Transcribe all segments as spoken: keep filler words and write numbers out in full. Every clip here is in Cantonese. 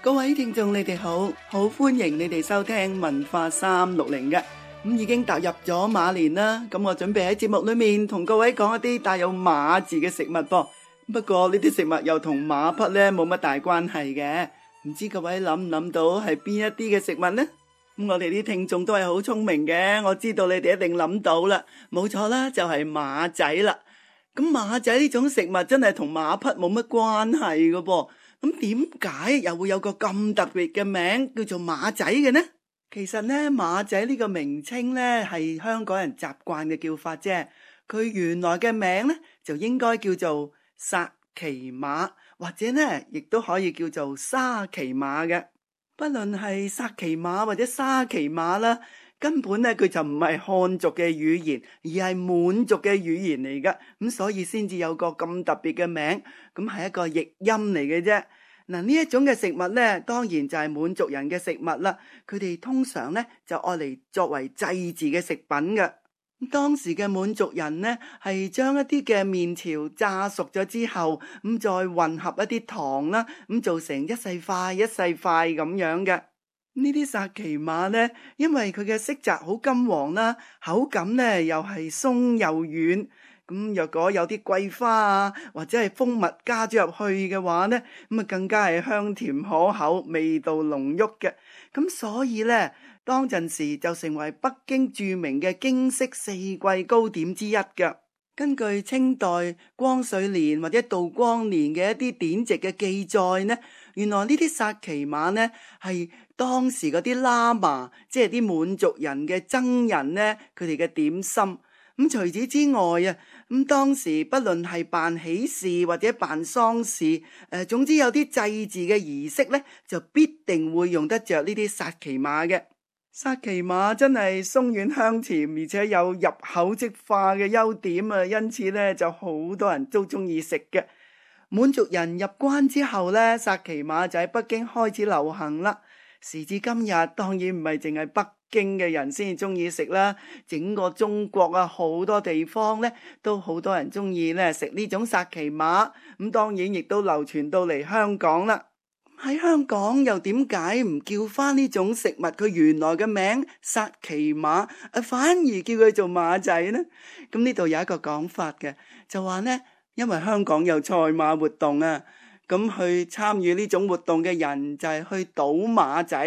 各位聽眾你哋好，好歡迎你哋收聽文化三六零嘅。咁已經踏入咗馬年啦，咁我準備喺節目裏面同各位講一啲帶有馬字嘅食物噃。不過呢啲食物又同馬匹呢冇乜大關係嘅，唔知各位諗唔諗到係邊一啲嘅食物呢？咁我哋啲聽眾都係好聰明嘅，我知道你哋一定諗到啦，冇錯啦，就係馬仔啦。咁馬仔呢種食物真係同馬匹冇乜關係㗎噃。咁點解又會有個咁特別嘅名叫做馬仔嘅呢？其實呢，馬仔呢個名稱呢係香港人習慣嘅叫法啫。佢原來嘅名呢就應該叫做薩其馬，或者呢亦都可以叫做沙其馬嘅。不論係薩其馬或者沙其馬啦，根本呢佢就唔係漢族嘅語言，而係滿族嘅語言嚟噶。咁所以先至有個咁特別嘅名，咁係一個譯音嚟嘅啫。嗱，呢一種嘅食物呢，當然就係滿族人嘅食物啦。佢哋通常呢就愛嚟作為祭祀嘅食品嘅。當時嘅滿族人呢，係將一啲嘅麵條炸熟咗之後，咁再混合一啲糖啦，咁做成一細塊一細塊咁樣嘅。呢啲薩其馬呢，因為佢嘅色澤好金黃啦，口感呢又係鬆又軟。咁若果有啲桂花啊，或者係蜂蜜加咗入去嘅話呢，咁啊更加係香甜可口，味道濃郁嘅。咁所以呢，當陣時就成為北京著名嘅京式四季糕點之一嘅。根據清代光緒年或者道光年嘅一啲典籍嘅記載呢，原來呢啲薩其馬呢係當時嗰啲喇嘛，即係啲滿族人嘅僧人呢，佢哋嘅點心。咁除此之外啊，咁當時不論係辦喜事或者辦喪事，誒，總之有啲祭祀嘅儀式呢，就必定會用得着呢啲薩其馬嘅。薩其馬真係鬆軟香甜，而且有入口即化嘅優點啊，因此呢就好多人都中意食嘅。滿族人入關之後呢，薩其馬就喺北京開始流行啦。時至今日，當然唔係淨係北京嘅人先至中意食啦，整個中國啊，好多地方呢都好多人中意呢食呢種薩其馬。咁當然亦都流傳到嚟香港啦。喺香港又點解唔叫翻呢種食物佢原來嘅名薩其馬，反而叫佢做馬仔呢？咁呢度有一個講法嘅，就話呢，因為香港有賽馬活動啊，咁去參與呢種活動嘅人就係去賭馬仔。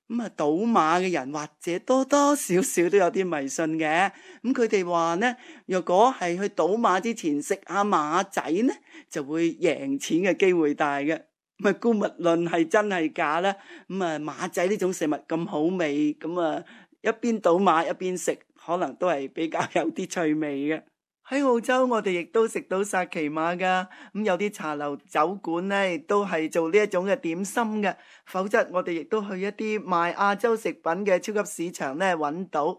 咁啊，賭馬嘅人或者多多少少都有啲迷信嘅。咁佢哋話呢，若果係去賭馬之前食下馬仔呢，就會贏錢嘅機會大嘅。咁啊，姑勿論係真係假啦。咁啊，馬仔呢種食物咁好味，咁啊一邊賭馬一邊食，可能都係比較有啲趣味嘅。喺澳洲我哋亦都食到薩其馬噶，咁有啲茶樓酒館呢亦都係做呢一種嘅點心嘅，否則我哋亦都去一啲賣亞洲食品嘅超級市場呢揾到。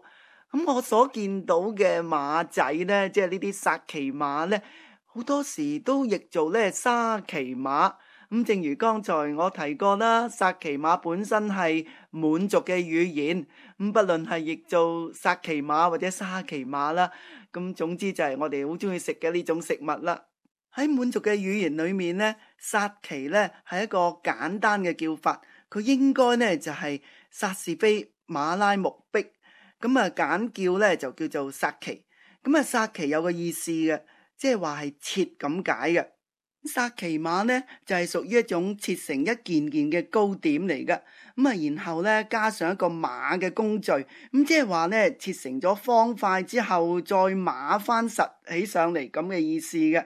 咁我所見到嘅馬仔呢，即係呢啲薩其馬呢，好多時都譯做呢沙其馬。咁正如剛才我提過啦，薩其馬本身係滿族嘅語言，咁不論係譯做薩其馬或者沙其馬啦，咁總之就係我哋好中意食嘅呢種食物啦。喺滿族嘅語言裏面呢，薩其呢係一個簡單嘅叫法，佢應該呢就係薩士菲馬拉木碧，咁啊簡叫呢就叫做薩其。咁啊薩其有個意思嘅，即係話係切咁解嘅。薩其馬呢就係屬於一種切成一件件嘅糕點嚟噶，咁啊然後呢加上一個馬嘅工序，咁即係話呢切成咗方塊之後再馬翻實起上嚟咁嘅意思嘅。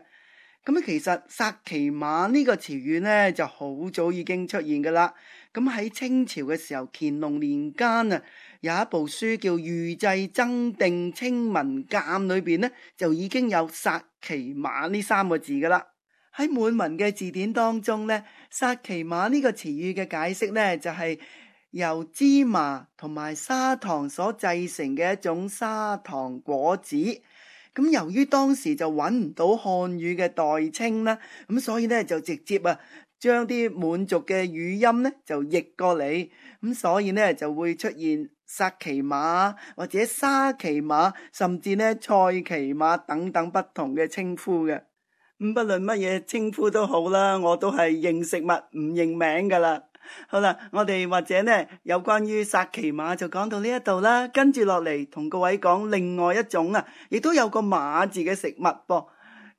咁啊其實薩其馬呢個詞語呢就好早已經出現噶啦。咁喺清朝嘅時候，乾隆年間啊，有一部書叫《御製增訂清文鑑》裏邊呢就已經有薩其馬呢三個字噶啦。喺滿文嘅字典當中呢，薩其馬呢個詞語嘅解釋呢，就係由芝麻同埋砂糖所製成嘅一種砂糖果子。咁由於當時就揾唔到漢語嘅代稱啦，咁所以呢就直接啊將啲滿族嘅語音呢就譯過嚟，咁所以呢就會出現薩其馬或者沙其馬，甚至呢賽其馬等等不同嘅稱呼嘅。咁不論乜嘢稱呼都好啦，我都係認食物唔認名噶啦。好啦，我哋或者呢有關於薩琪瑪就講到呢一度啦，跟住落嚟同各位講另外一種啊，亦都有個馬字嘅食物噃。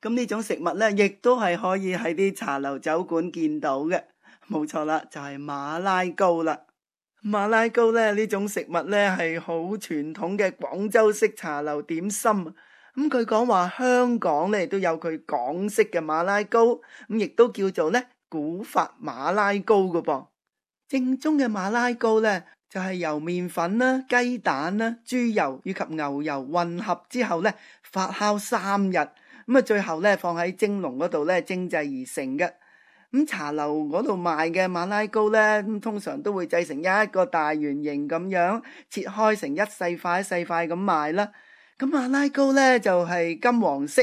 咁呢種食物呢，亦都係可以喺啲茶樓酒館見到嘅，冇錯啦，就係馬拉糕啦。馬拉糕呢，呢種食物呢係好傳統嘅廣州式茶樓點心。咁據講話香港呢都有佢港式嘅馬拉糕，咁亦都叫做呢古法馬拉糕嘅噃。正宗嘅馬拉糕呢，就係由麵粉啦、雞蛋啦、豬油以及牛油混合之後呢，發酵三日，咁啊最後呢放喺蒸籠嗰度呢蒸製而成嘅。咁茶樓嗰度賣嘅馬拉糕呢，咁通常都會製成一個大圓形咁樣，切開成一細塊一細塊咁賣啦。咁馬拉糕呢，就係金黃色，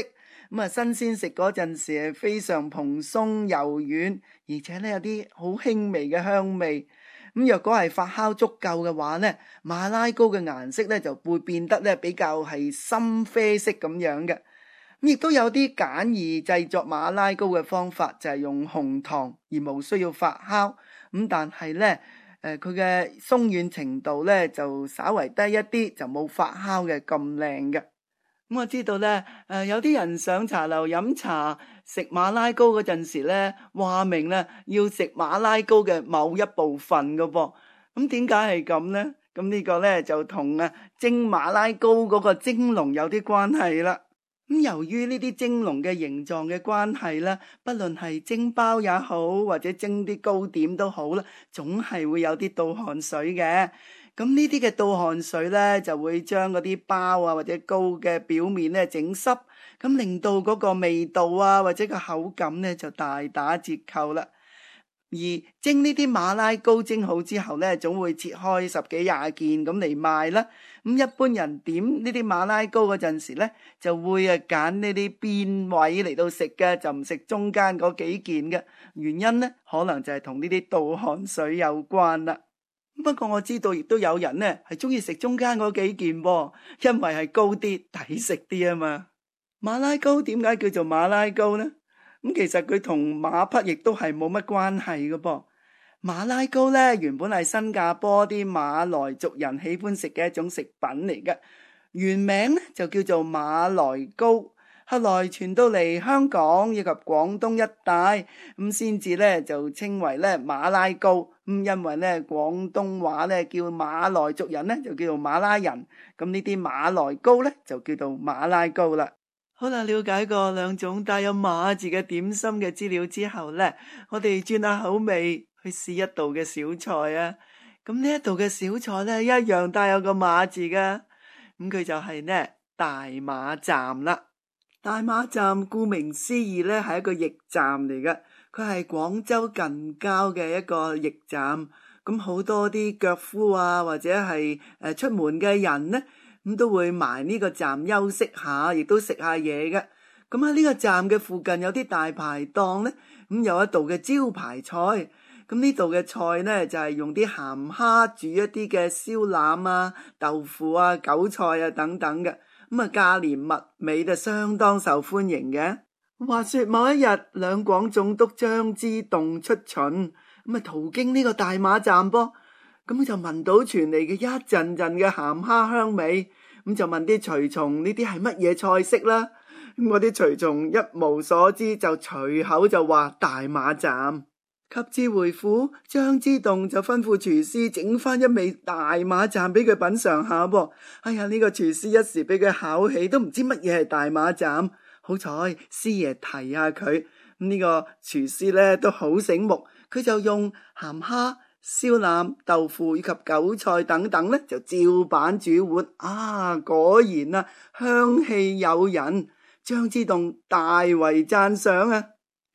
咁啊新鮮食嗰陣時係非常蓬鬆柔軟，而且呢有啲好輕微嘅香味。咁若果係發酵足夠嘅話呢，馬拉糕嘅顏色呢就會變得呢比較係深啡色咁樣嘅。亦都有啲簡易製作馬拉糕嘅方法，就係用紅糖而無需要發酵。咁但係呢，誒佢嘅鬆軟程度呢就稍為低一啲，就冇發酵嘅咁靚嘅。咁我知道呢，誒有啲人上茶樓飲茶食馬拉糕嗰陣時呢，話明呢要食馬拉糕嘅某一部分㗎噃。咁點解係咁呢？咁呢個呢就同啊蒸馬拉糕嗰個蒸籠有啲關係啦。咁由於呢啲蒸籠嘅形狀嘅關係啦，不論係蒸包也好，或者蒸啲糕點都好啦，總係會有啲倒汗水嘅。咁呢啲嘅倒汗水呢，就會將嗰啲包啊或者糕嘅表面呢整濕，咁令到嗰個味道啊或者個口感呢就大打折扣啦。而蒸呢啲馬拉糕蒸好之後呢，總會切開十幾廿件咁嚟賣啦。咁一般人點呢啲馬拉糕嗰陣時呢，就會啊揀呢啲邊位嚟到食嘅，就唔食中間嗰幾件嘅。原因呢，可能就係同呢啲倒汗水有關啦。不過我知道亦都有人呢係中意食中間嗰幾件噃，因為係高啲抵食啲啊嘛。馬拉糕點解叫做馬拉糕呢？咁其實佢同馬匹亦都係冇乜關係嘅噃。馬拉糕呢，原本係新加坡啲馬來族人喜歡食嘅一種食品嚟嘅，原名呢就叫做馬來糕，後來傳到嚟香港以及廣東一帶，咁先至呢就稱為呢馬拉糕。咁因為呢廣東話呢叫馬來族人呢就叫做馬拉人，咁呢啲馬來糕呢就叫做馬拉糕啦。好啦，了解過兩種帶有馬字嘅點心嘅資料之後呢，我哋轉下口味去試一道嘅小菜啊。咁呢一道嘅小菜呢，一樣帶有個馬字噶，咁佢就係呢大馬站啦。大馬站顧名思義呢係一個驛站嚟嘅，佢係廣州近郊嘅一個驛站。咁好多啲腳夫啊或者係誒出門嘅人呢，咁都會埋呢個站休息下，亦都食下嘢嘅。咁喺呢個站嘅附近有啲大排檔呢，咁有一道嘅招牌菜。咁呢度嘅菜呢，就係用啲鹹蝦煮一啲嘅燒腩啊、豆腐啊、韭菜啊等等嘅。咁啊價廉物美，就相當受歡迎嘅。話說某一日，兩廣總督張之洞出巡，咁啊途經呢個大馬站噃。咁就聞到傳嚟嘅一陣陣嘅鹹蝦香味，咁就問啲隨從呢啲係乜嘢菜式啦。咁嗰啲隨從一無所知，就隨口就話大馬站。及至回府，張之洞就吩咐廚師整翻一味大馬站俾佢品嘗下噃。哎呀，呢個廚師一時俾佢考起，都唔知乜嘢係大馬站。好彩師爺提下佢，咁呢個廚師呢都好醒目，佢就用鹹蝦、燒腩、豆腐以及韭菜等等呢，就照板煮碗。啊，果然啊，香氣誘人，張之洞大為讚賞啊！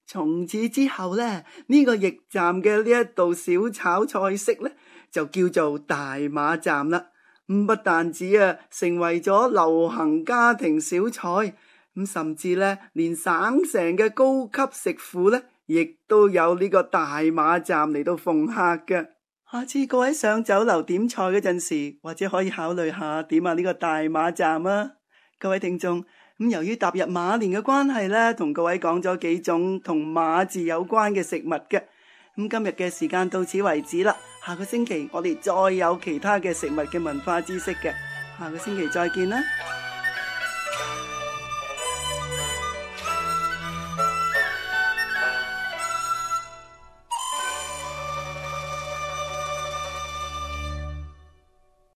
從此之後呢，呢、這個驛站嘅呢一道小炒菜式呢，就叫做大馬站啦。咁不但止啊，成為咗流行家庭小菜，咁甚至呢，連省城嘅高級食府呢，亦都有呢個大馬站嚟到奉客嘅。下次各位上酒樓點菜嗰陣時，或者可以考慮下點下呢個大馬站啊。各位聽眾，咁由於踏入馬年嘅關係呢，同各位講咗幾種同馬字有關嘅食物嘅。咁今日嘅時間到此為止啦，下個星期我哋再有其他嘅食物嘅文化知識嘅，下個星期再見啦。